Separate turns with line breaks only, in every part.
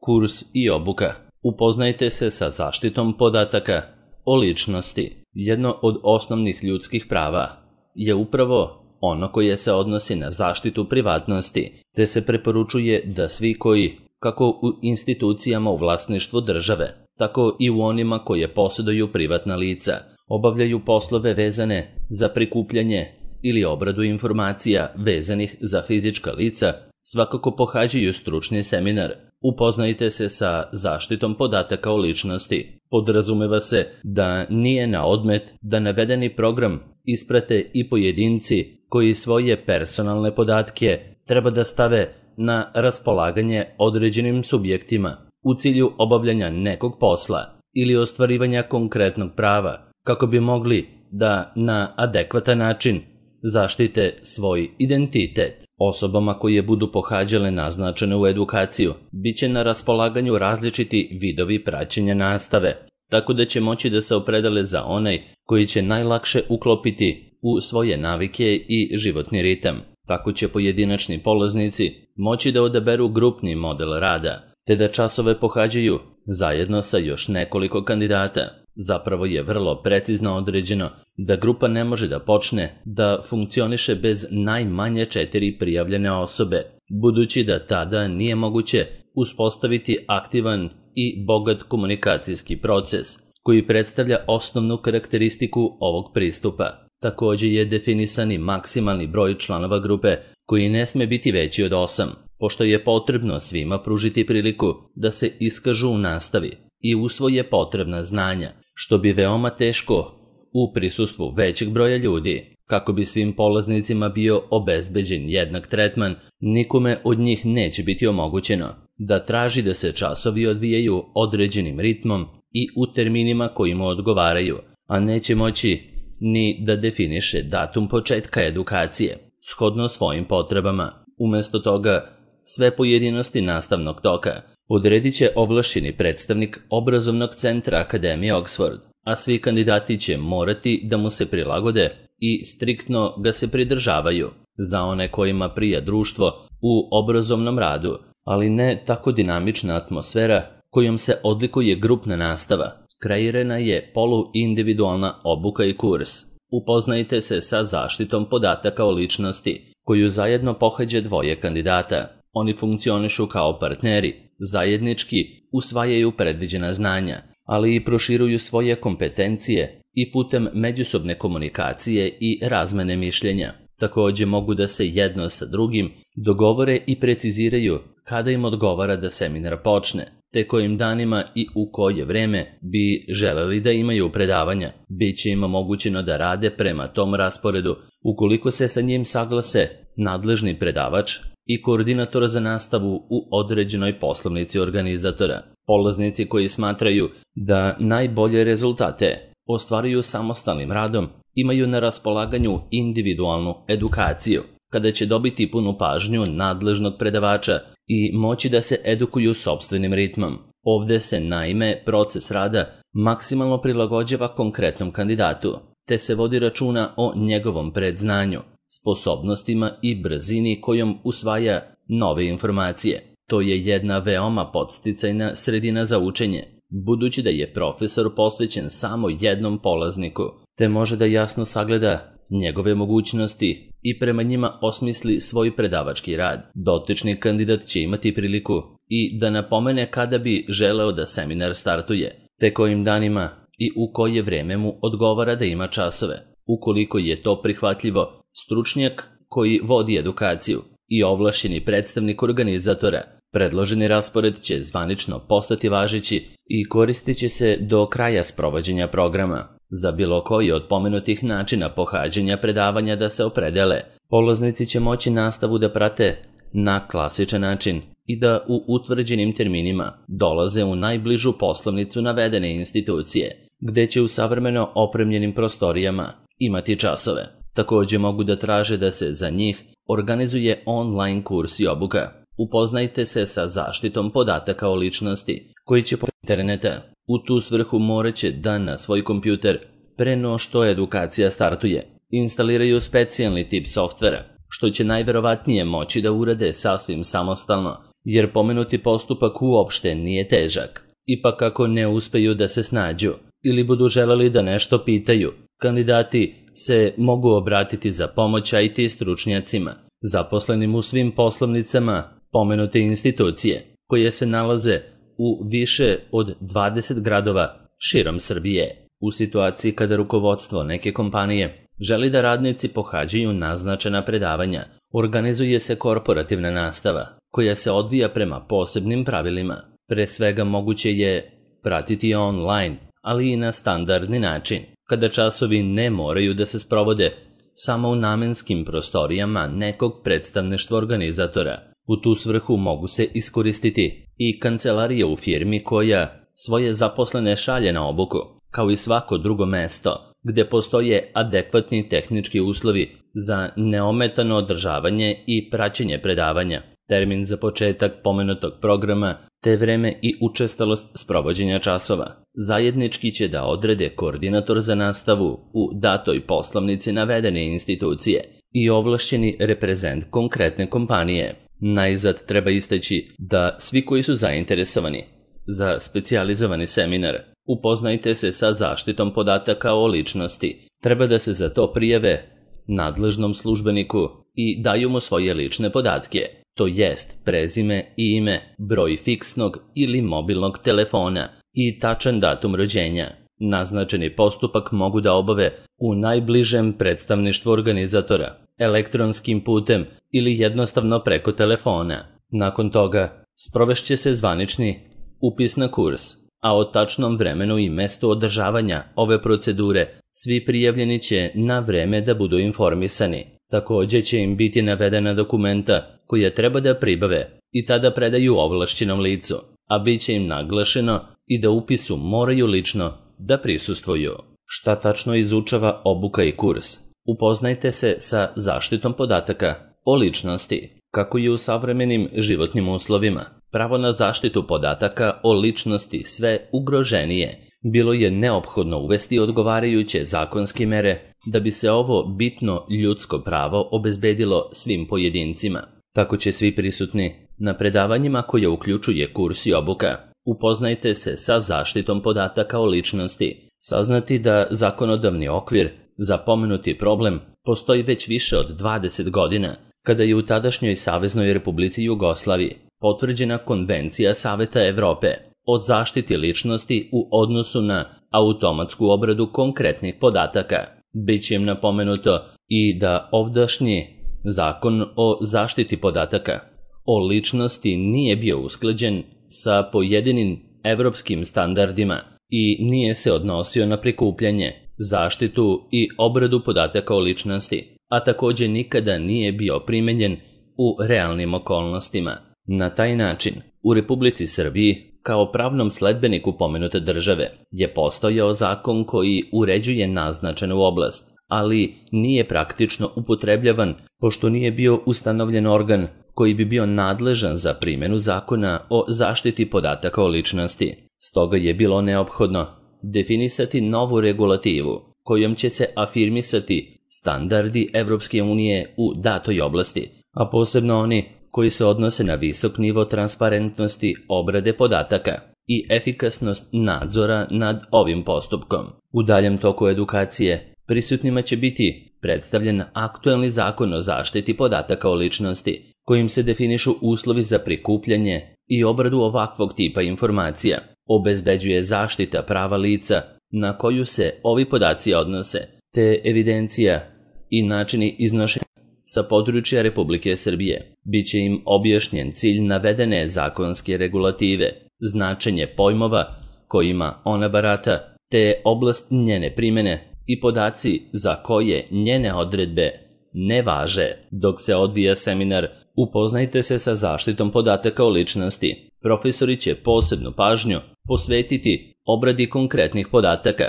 Kurs i obuka. Upoznajte se sa zaštitom podataka o ličnosti. Jedno od osnovnih ljudskih prava je upravo ono koje se odnosi na zaštitu privatnosti, te se preporučuje da svi koji, kako u institucijama u vlasništvu države, tako i u onima koje posjeduju privatna lica, obavljaju poslove vezane za prikupljanje ili obradu informacija vezanih za fizička lica, svakako pohađaju stručni seminar. Upoznajte se sa zaštitom podataka o ličnosti. Podrazumeva se da nije na odmet da navedeni program isprate i pojedinci koji svoje personalne podatke treba da stave na raspolaganje određenim subjektima u cilju obavljanja nekog posla ili ostvarivanja konkretnog prava, kako bi mogli da na adekvatan način zaštite svoj identitet. Osobama koje budu pohađale naznačene u edukaciju bit će na raspolaganju različiti vidovi praćenja nastave, tako da će moći da se opredele za onaj koji će najlakše uklopiti u svoje navike i životni ritam. Tako će pojedinačni polaznici moći da odaberu grupni model rada, te da časove pohađaju zajedno sa još nekoliko kandidata. Zapravo je vrlo precizno određeno da grupa ne može da počne da funkcioniše bez najmanje 4 prijavljene osobe, budući da tada nije moguće uspostaviti aktivan i bogat komunikacijski proces, koji predstavlja osnovnu karakteristiku ovog pristupa. Također je definisan i maksimalni broj članova grupe, koji ne sme biti veći od 8, pošto je potrebno svima pružiti priliku da se iskažu u nastavi i usvoje potrebna znanja, što bi veoma teško u prisustvu većeg broja ljudi. Kako bi svim polaznicima bio obezbeđen jednak tretman, nikome od njih neće biti omogućeno da traži da se časovi odvijaju određenim ritmom i u terminima koji mu odgovaraju, a neće moći ni da definiše datum početka edukacije, shodno svojim potrebama. Umjesto toga, sve pojedinosti nastavnog toka odredit će ovlašćeni predstavnik obrazovnog centra Akademije Oxford, a svi kandidati će morati da mu se prilagode i striktno ga se pridržavaju. Za one kojima prija društvo u obrazovnom radu, ali ne tako dinamična atmosfera kojom se odlikuje grupna nastava, kreirana je poluindividualna obuka i kurs. Upoznajte se sa zaštitom podataka o ličnosti, koju zajedno pohađa 2 kandidata. Oni funkcionišu kao partneri, zajednički usvajaju predviđena znanja, ali i proširuju svoje kompetencije i putem međusobne komunikacije i razmene mišljenja. Također mogu da se jedno sa drugim dogovore i preciziraju kada im odgovara da seminar počne, te kojim danima i u koje vreme bi želeli da imaju predavanja. Biće im omogućeno da rade prema tom rasporedu, ukoliko se sa njim saglase nadležni predavač i koordinator za nastavu u određenoj poslovnici organizatora. Polaznici koji smatraju da najbolje rezultate ostvaruju samostalnim radom imaju na raspolaganju individualnu edukaciju, kada će dobiti punu pažnju nadležnog predavača i moći da se edukuju sopstvenim ritmom. Ovdje se naime proces rada maksimalno prilagođava konkretnom kandidatu, te se vodi računa o njegovom predznanju, sposobnostima i brzini kojom usvaja nove informacije. To je jedna veoma podsticajna sredina za učenje, budući da je profesor posvećen samo jednom polazniku, te može da jasno sagleda njegove mogućnosti i prema njima osmisli svoj predavački rad. Dotični kandidat će imati priliku i da napomene kada bi želeo da seminar startuje, te kojim danima i u koje vreme mu odgovara da ima časove. Ukoliko je to prihvatljivo, stručnjak koji vodi edukaciju i ovlašćeni predstavnik organizatora, predloženi raspored će zvanično postati važeći i koristit će se do kraja sprovođenja programa. Za bilo koji od pomenutih načina pohađanja predavanja da se opredele, polaznici će moći nastavu da prate na klasičan način i da u utvrđenim terminima dolaze u najbližu poslovnicu navedene institucije, gde će u savremeno opremljenim prostorijama imati časove. Također mogu da traže da se za njih organizuje online kurs i obuka. Upoznajte se sa zaštitom podataka o ličnosti, koji će po interneta. U tu svrhu morat će da na svoj kompjuter, pre no što edukacija startuje, instaliraju specijalni tip softvera, što će najverovatnije moći da urade sasvim samostalno jer pomenuti postupak uopšte nije težak. Ipak ako ne uspeju da se snađu ili budu želeli da nešto pitaju, kandidati se mogu obratiti za pomoć IT stručnjacima, zaposlenim u svim poslovnicama pomenute institucije, koje se nalaze u više od 20 gradova širom Srbije. U situaciji kada rukovodstvo neke kompanije želi da radnici pohađaju naznačena predavanja, organizuje se korporativna nastava, koja se odvija prema posebnim pravilima. Pre svega moguće je pratiti online, ali i na standardni način, kada časovi ne moraju da se sprovode samo u namenskim prostorijama nekog predstavništva organizatora. U tu svrhu mogu se iskoristiti i kancelarija u firmi koja svoje zaposlene šalje na obuku, kao i svako drugo mesto gde postoje adekvatni tehnički uslovi za neometano održavanje i praćenje predavanja, termin za početak pomenutog programa te vreme i učestalost sprovođenja časova. Zajednički će da odrede koordinator za nastavu u datoj poslovnici navedene institucije i ovlašćeni reprezent konkretne kompanije. Najzad treba istaći da svi koji su zainteresovani za specijalizovani seminar upoznajte se sa zaštitom podataka o ličnosti, treba da se za to prijave nadležnom službeniku i daju mu svoje lične podatke, to jest prezime i ime, broj fiksnog ili mobilnog telefona i tačan datum rođenja. Naznačeni postupak mogu da obave u najbližem predstavništvu organizatora, elektronskim putem ili jednostavno preko telefona. Nakon toga sprovešće se zvanični upis na kurs, a o tačnom vremenu i mestu održavanja ove procedure svi prijavljeni će na vreme da budu informisani. Također će im biti navedena dokumenta koja treba da pribave i tada predaju ovlašćenom licu, a bit će im naglašeno i da upisu moraju lično da prisustvuju. Šta tačno izučava obuka i kurs? Upoznajte se sa zaštitom podataka o ličnosti, kako je u savremenim životnim uslovima. Pravo na zaštitu podataka o ličnosti sve ugroženije. Bilo je neophodno uvesti odgovarajuće zakonske mere da bi se ovo bitno ljudsko pravo obezbedilo svim pojedincima. Tako će svi prisutni na predavanjima koje uključuje kurs i obuka. Upoznajte se sa zaštitom podataka o ličnosti. Saznati da zakonodavni okvir za pomenuti problem postoji već više od 20 godina, kada je u tadašnjoj Saveznoj Republici Jugoslaviji potvrđena Konvencija Saveta Evrope o zaštiti ličnosti u odnosu na automatsku obradu konkretnih podataka. Biće im napomenuto i da ovdašnji zakon o zaštiti podataka o ličnosti nije bio usklađen sa pojedinim evropskim standardima i nije se odnosio na prikupljanje, zaštitu i obradu podataka o ličnosti, a također nikada nije bio primenjen u realnim okolnostima. Na taj način, u Republici Srbiji, kao pravnom sledbeniku pomenute države, je postojao zakon koji uređuje naznačenu oblast, ali nije praktično upotrebljavan pošto nije bio ustanovljen organ koji bi bio nadležan za primjenu zakona o zaštiti podataka o ličnosti. Stoga je bilo neophodno definisati novu regulativu kojom će se afirmisati standardi Evropske unije u datoj oblasti, a posebno oni koji se odnose na visok nivo transparentnosti obrade podataka i efikasnost nadzora nad ovim postupkom. U daljem toku edukacije prisutnima će biti predstavljen aktuelni zakon o zaštiti podataka o ličnosti, kojim se definišu uslovi za prikupljanje i obradu ovakvog tipa informacija, obezbeđuje zaštita prava lica na koju se ovi podaci odnose, te evidencija i načini iznošenja sa područja Republike Srbije. Biće im objašnjen cilj navedene zakonske regulative, značenje pojmova kojima ona barata, te oblast njene primjene i podaci za koje njene odredbe ne važe. Dok se odvija seminar, upoznajte se sa zaštitom podataka o ličnosti. Profesori će posebnu pažnju posvetiti obradi konkretnih podataka,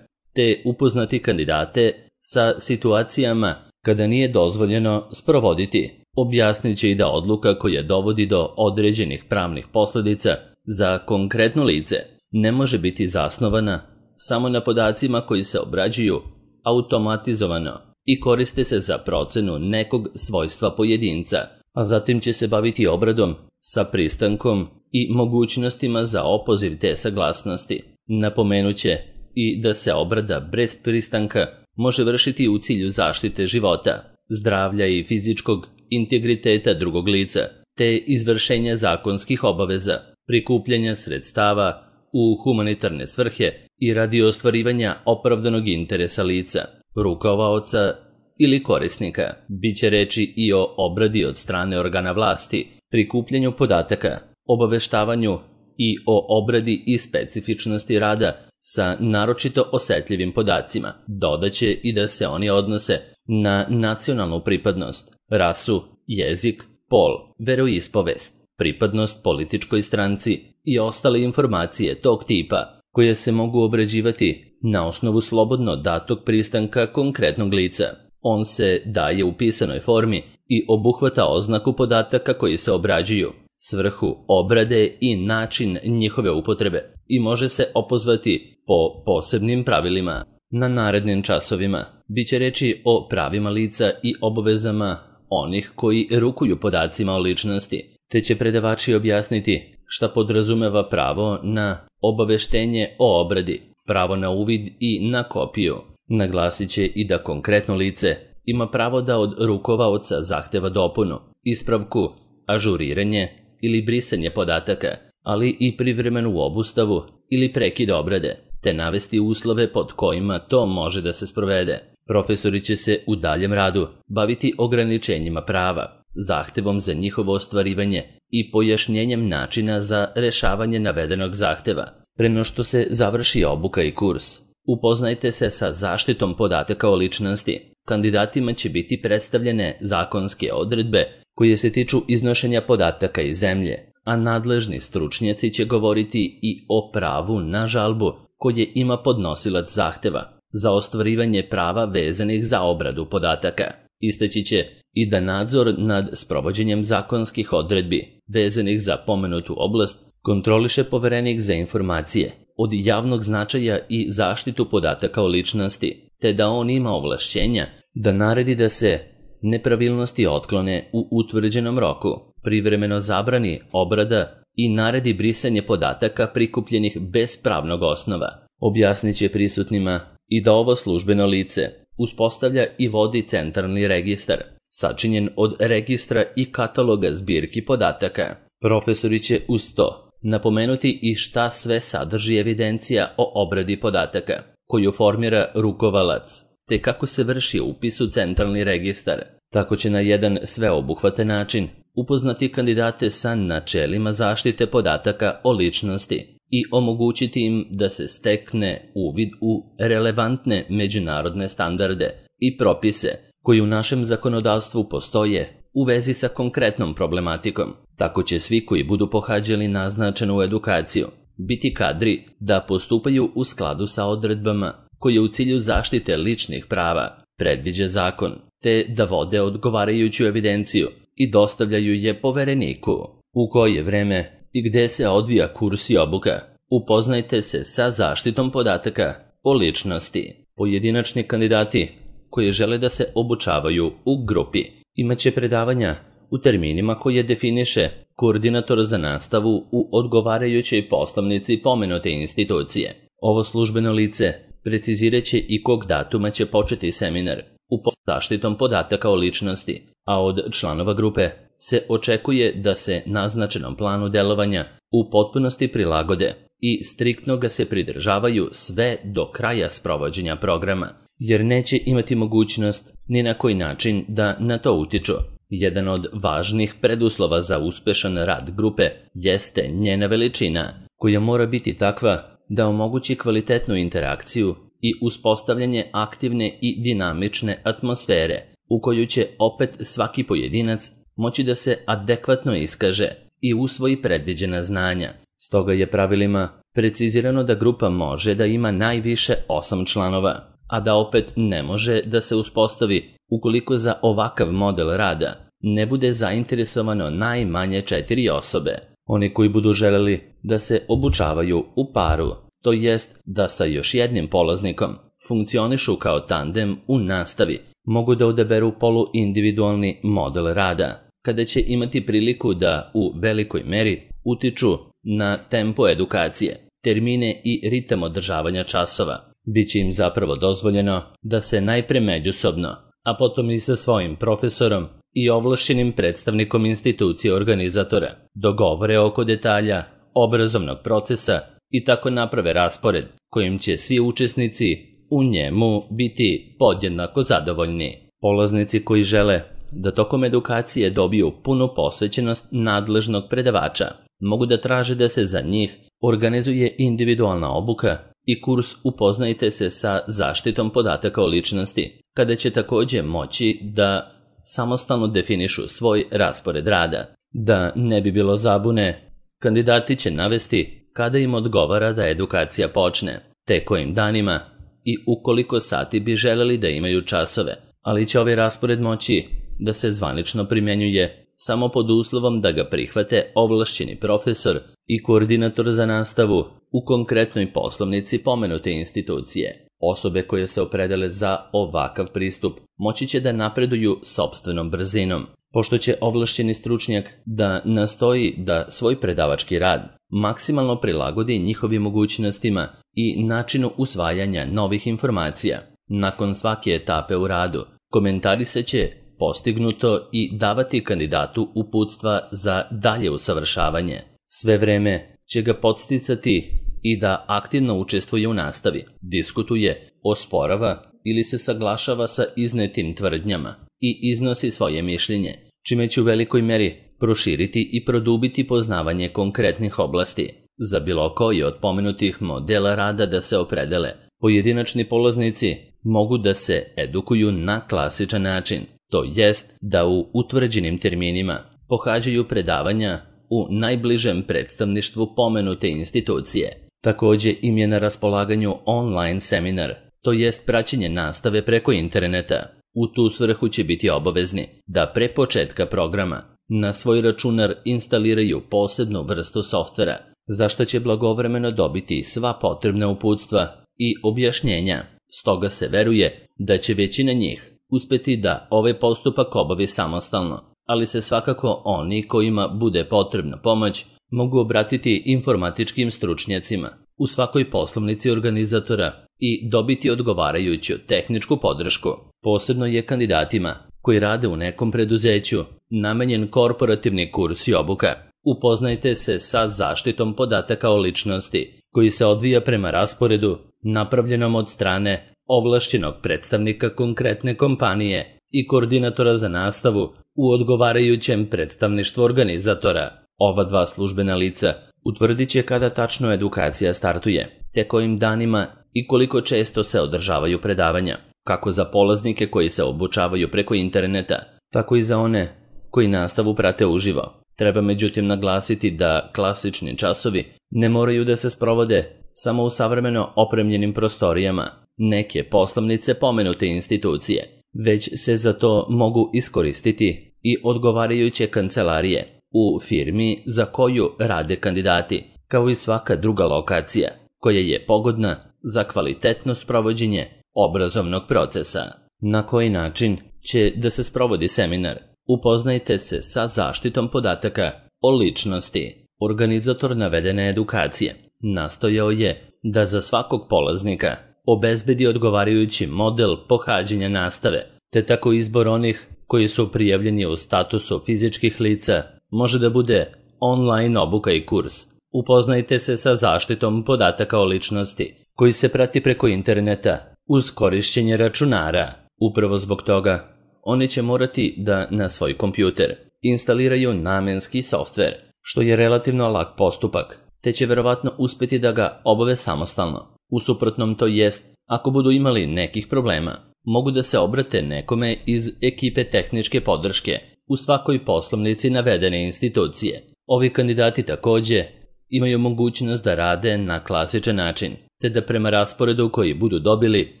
te upoznati kandidate sa situacijama kada nije dozvoljeno sprovoditi. Objasnit će i da odluka koja dovodi do određenih pravnih posljedica za konkretno lice ne može biti zasnovana samo na podacima koji se obrađuju automatizovano i koriste se za procenu nekog svojstva pojedinca, a zatim će se baviti obradom sa pristankom i mogućnostima za opoziv te saglasnosti. Napomenuće i da se obrada bez pristanka može vršiti u cilju zaštite života, zdravlja i fizičkog integriteta drugog lica, te izvršenja zakonskih obaveza, prikupljanja sredstava u humanitarne svrhe i radi ostvarivanja opravdanog interesa lica, rukovaoca ili korisnika. Biće reči i o obradi od strane organa vlasti, prikupljanju podataka, obaveštavanju i o obradi i specifičnosti rada sa naročito osetljivim podacima. Dodaće i da se oni odnose na nacionalnu pripadnost, rasu, jezik, pol, veroispovest, pripadnost političkoj stranci i ostale informacije tog tipa koje se mogu obrađivati na osnovu slobodno datog pristanka konkretnog lica. On se daje u pisanoj formi i obuhvata oznaku podataka koji se obrađuju, svrhu obrade i način njihove upotrebe i može se opozvati po posebnim pravilima. Na narednim časovima biće reči o pravima lica i obavezama onih koji rukuju podacima o ličnosti, te će predavači objasniti šta podrazumeva pravo na obaveštenje o obradi, pravo na uvid i na kopiju. Naglasit će i da konkretno lice ima pravo da od rukovaoca zahteva dopunu, ispravku, ažuriranje ili brisanje podataka, ali i privremenu obustavu ili prekid obrade, te navesti uslove pod kojima to može da se sprovede. Profesori će se u daljem radu baviti ograničenjima prava, zahtevom za njihovo ostvarivanje i pojašnjenjem načina za rešavanje navedenog zahteva. Pre no što se završi obuka i kurs, upoznajte se sa zaštitom podataka o ličnosti. Kandidatima će biti predstavljene zakonske odredbe koje se tiču iznošenja podataka iz zemlje, a nadležni stručnjaci će govoriti i o pravu na žalbu koje ima podnosilac zahteva za ostvarivanje prava vezanih za obradu podataka. Istaći će i da nadzor nad sprovođenjem zakonskih odredbi vezanih za pomenutu oblast kontroliše poverenik za informacije od javnog značaja i zaštitu podataka o ličnosti, te da on ima ovlašćenja da naredi da se nepravilnosti otklone u utvrđenom roku, privremeno zabrani obrada i naredi brisanje podataka prikupljenih bez pravnog osnova. Objasnit će prisutnima i da ovo službeno lice uspostavlja i vodi centralni registar, sačinjen od registra i kataloga zbirki podataka. Profesori će uz to napomenuti i šta sve sadrži evidencija o obradi podataka, koju formira rukovalac, te kako se vrši upis u centralni registar. Tako će na jedan sveobuhvatan način upoznati kandidate sa načelima zaštite podataka o ličnosti i omogućiti im da se stekne uvid u relevantne međunarodne standarde i propise koji u našem zakonodavstvu postoje u vezi sa konkretnom problematikom. Tako će svi koji budu pohađali naznačenu edukaciju biti kadri da postupaju u skladu sa odredbama koje u cilju zaštite ličnih prava predviđa zakon, te da vode odgovarajuću evidenciju i dostavljaju je povereniku. U koje vreme i gde se odvija kurs i obuka, upoznajte se sa zaštitom podataka o ličnosti. Pojedinačni kandidati koji žele da se obučavaju u grupi imaće predavanja u terminima koje definiše koordinator za nastavu u odgovarajućoj poslovnici pomenute institucije. Ovo službeno lice precizirat će i kog datuma će početi seminar u zaštitom podataka o ličnosti, a od članova grupe se očekuje da se naznačenom planu delovanja u potpunosti prilagode i striktno ga se pridržavaju sve do kraja sprovođenja programa, jer neće imati mogućnost ni na koji način da na to utiču. Jedan od važnih preduslova za uspešan rad grupe jeste njena veličina, koja mora biti takva da omogući kvalitetnu interakciju i uspostavljanje aktivne i dinamične atmosfere u koju će opet svaki pojedinac moći da se adekvatno iskaže i usvoji predviđena znanja. Stoga je pravilima precizirano da grupa može da ima najviše 8 članova, a da opet ne može da se uspostavi ukoliko za ovakav model rada ne bude zainteresovano najmanje 4 osobe. Oni koji budu želeli da se obučavaju u paru, to jest da sa još jednim polaznikom funkcionišu kao tandem u nastavi, mogu da odaberu poluindividualni model rada. kada će imati priliku da u velikoj meri utiču na tempo edukacije, termine i ritam održavanja časova. Biće im zapravo dozvoljeno da se najpre međusobno, a potom i sa svojim profesorom i ovlašćenim predstavnikom institucije organizatora dogovore oko detalja obrazovnog procesa i tako naprave raspored kojim će svi učesnici u njemu biti podjednako zadovoljni. Polaznici koji žele da tokom edukacije dobiju punu posvećenost nadležnog predavača mogu da traže da se za njih organizuje individualna obuka i kurs Upoznajte se sa zaštitom podataka o ličnosti, kada će također moći da samostalno definišu svoj raspored rada. Da ne bi bilo zabune, kandidati će navesti kada im odgovara da edukacija počne, te kojim danima i u koliko sati bi želeli da imaju časove, ali će ovaj raspored moći da se zvanično primjenjuje samo pod uslovom da ga prihvate ovlašćeni profesor i koordinator za nastavu u konkretnoj poslovnici pomenute institucije. Osobe koje se opredele za ovakav pristup moći će da napreduju sopstvenom brzinom, pošto će ovlašćeni stručnjak da nastoji da svoj predavački rad maksimalno prilagodi njihovim mogućnostima i načinu usvajanja novih informacija. Nakon svake etape u radu, komentarisat će postignuto i davati kandidatu uputstva za dalje usavršavanje. Sve vreme će ga podsticati i da aktivno učestvuje u nastavi, diskutuje, osporava ili se saglašava sa iznetim tvrdnjama i iznosi svoje mišljenje, čime će u velikoj meri proširiti i produbiti poznavanje konkretnih oblasti. Za bilo koji od pomenutih modela rada da se opredele, pojedinačni polaznici mogu da se edukuju na klasičan način, to jest da u utvrđenim terminima pohađaju predavanja u najbližem predstavništvu pomenute institucije. Također im je na raspolaganju online seminar, to jest praćenje nastave preko interneta. U tu svrhu će biti obavezni da pre početka programa na svoj računar instaliraju posebnu vrstu softvera, za što će blagovremeno dobiti sva potrebna uputstva i objašnjenja. Stoga se veruje da će većina njih uspeti da ovaj postupak obavi samostalno, ali se svakako oni kojima bude potrebna pomoć mogu obratiti informatičkim stručnjacima u svakoj poslovnici organizatora i dobiti odgovarajuću tehničku podršku. Posebno je kandidatima koji rade u nekom preduzeću namenjen korporativni kurs i obuka. Upoznajte se sa zaštitom podataka o ličnosti, koji se odvija prema rasporedu napravljenom od strane ovlašćenog predstavnika konkretne kompanije i koordinatora za nastavu u odgovarajućem predstavništvu organizatora. Ova dva službena lica utvrdit će kada tačno edukacija startuje, te kojim danima i koliko često se održavaju predavanja, kako za polaznike koji se obučavaju preko interneta, tako i za one koji nastavu prate uživo. Treba međutim naglasiti da klasični časovi ne moraju da se sprovode samo u savremeno opremljenim prostorijama neke poslovnice pomenute institucije, već se za to mogu iskoristiti i odgovarajuće kancelarije u firmi za koju rade kandidati, kao i svaka druga lokacija koja je pogodna za kvalitetno sprovođenje obrazovnog procesa. Na koji način će da se sprovodi seminar? Upoznajte se sa zaštitom podataka o ličnosti. Organizator navedene edukacije nastojao je da za svakog polaznika obezbedi odgovarajući model pohađanja nastave, te tako izbor onih koji su prijavljeni u statusu fizičkih lica može da bude online obuka i kurs. Upoznajte se sa zaštitom podataka o ličnosti, koji se prati preko interneta uz korišćenje računara. Upravo zbog toga, oni će morati da na svoj kompjuter instaliraju namenski softver, što je relativno lak postupak, te će verovatno uspjeti da ga obave samostalno. U suprotnom, to jest, ako budu imali nekih problema, mogu da se obrate nekome iz ekipe tehničke podrške u svakoj poslovnici navedene institucije. Ovi kandidati također imaju mogućnost da rade na klasičan način, te da prema rasporedu koji budu dobili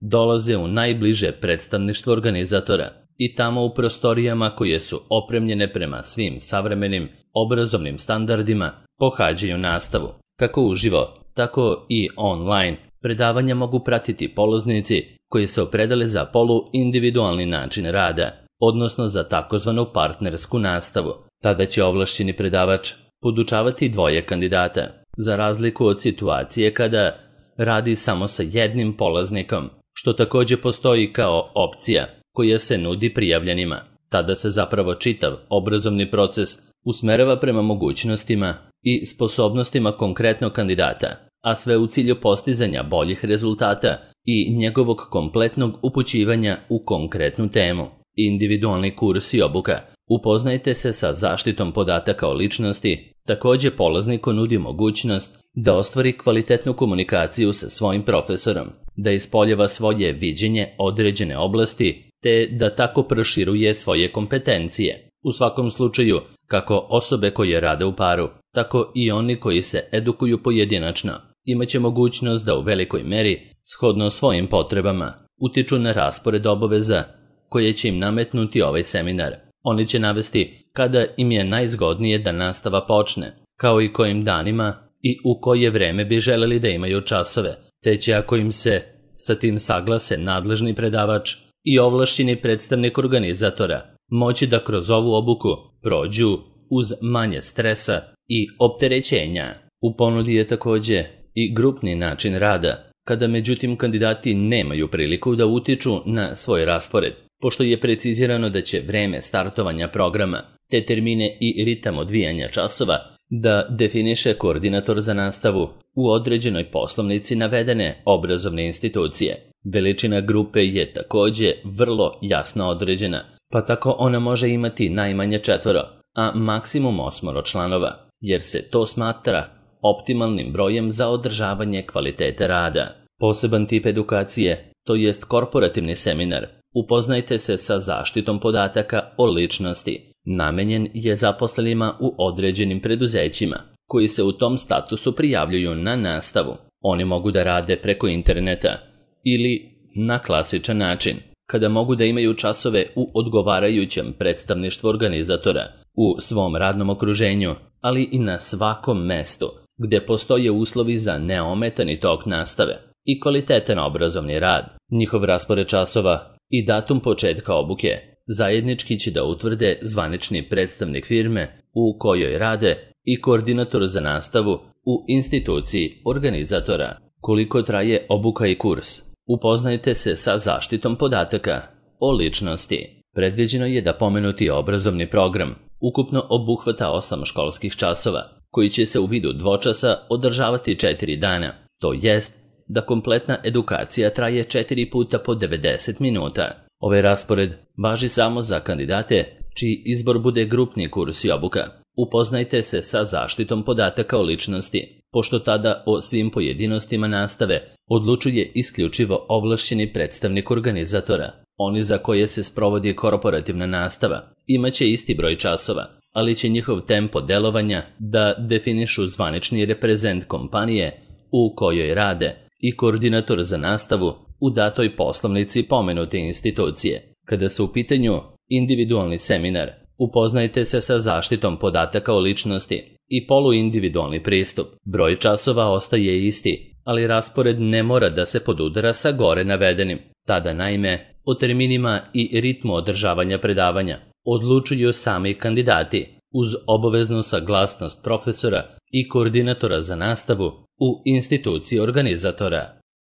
dolaze u najbliže predstavništvo organizatora i tamo u prostorijama koje su opremljene prema svim savremenim obrazovnim standardima pohađaju nastavu. Kako uživo, tako i online predavanja mogu pratiti polaznici koji se opredele za polu-individualni način rada. odnosno za takozvanu partnersku nastavu. Tada će ovlašćeni predavač podučavati dvoje kandidata, za razliku od situacije kada radi samo sa jednim polaznikom, što također postoji kao opcija koja se nudi prijavljenima. Tada se zapravo čitav obrazovni proces usmerava prema mogućnostima i sposobnostima konkretnog kandidata, a sve u cilju postizanja boljih rezultata i njegovog kompletnog upućivanja u konkretnu temu. Individualni kurs i obuka. Upoznajte se sa zaštitom podataka o ličnosti. Također polazniku nudi mogućnost da ostvari kvalitetnu komunikaciju sa svojim profesorom, da ispoljava svoje viđenje određene oblasti, te da tako proširuje svoje kompetencije. U svakom slučaju, kako osobe koje rade u paru, tako i oni koji se edukuju pojedinačno, imaće mogućnost da u velikoj meri, shodno svojim potrebama, utiču na raspored obaveza koje će im nametnuti ovaj seminar. Oni će navesti kada im je najzgodnije da nastava počne, kao i kojim danima i u koje vreme bi želeli da imaju časove, te će, ako im se sa tim saglase nadležni predavač i ovlašćeni predstavnik organizatora, moći da kroz ovu obuku prođu uz manje stresa i opterećenja. U ponudi je također i grupni način rada, kada međutim kandidati nemaju priliku da utiču na svoj raspored, pošto je precizirano da će vreme startovanja programa, te termine i ritam odvijanja časova da definiše koordinator za nastavu u određenoj poslovnici navedene obrazovne institucije. Veličina grupe je također vrlo jasno određena, pa tako ona može imati najmanje 4, a maksimum 8 članova, jer se to smatra optimalnim brojem za održavanje kvalitete rada. Poseban tip edukacije, to jest korporativni seminar, upoznajte se sa zaštitom podataka o ličnosti. Namenjen je zaposlenima u određenim preduzećima, koji se u tom statusu prijavljuju na nastavu. Oni mogu da rade preko interneta ili na klasičan način, kada mogu da imaju časove u odgovarajućem predstavništvu organizatora, u svom radnom okruženju, ali i na svakom mestu, gde postoje uslovi za neometani tok nastave i kvalitetan obrazovni rad. Njihov raspored časova i datum početka obuke zajednički će da utvrde zvanični predstavnik firme u kojoj rade i koordinator za nastavu u instituciji organizatora. Koliko traje obuka i kurs? Upoznajte se sa zaštitom podataka o ličnosti. Predviđeno je da pomenuti obrazovni program ukupno obuhvata 8 školskih časova, koji će se u vidu dvočasa održavati 4 dana. To jest da kompletna edukacija traje 4 puta po 90 minuta. Ovaj raspored važi samo za kandidate čiji izbor bude grupni kurs i obuka. Upoznajte se sa zaštitom podataka o ličnosti, pošto tada o svim pojedinostima nastave odlučuje isključivo ovlašćeni predstavnik organizatora. Oni za koje se sprovodi korporativna nastava imaće isti broj časova, ali će njihov tempo delovanja da definišu zvanični reprezent kompanije u kojoj rade i koordinator za nastavu u datoj poslovnici pomenute institucije. Kada su u pitanju individualni seminar, upoznajte se sa zaštitom podataka o ličnosti i poluindividualni pristup. Broj časova ostaje isti, ali raspored ne mora da se podudara sa gore navedenim. Tada naime o terminima i ritmu održavanja predavanja odlučuju sami kandidati uz obaveznu saglasnost profesora i koordinatora za nastavu u instituciji organizatora.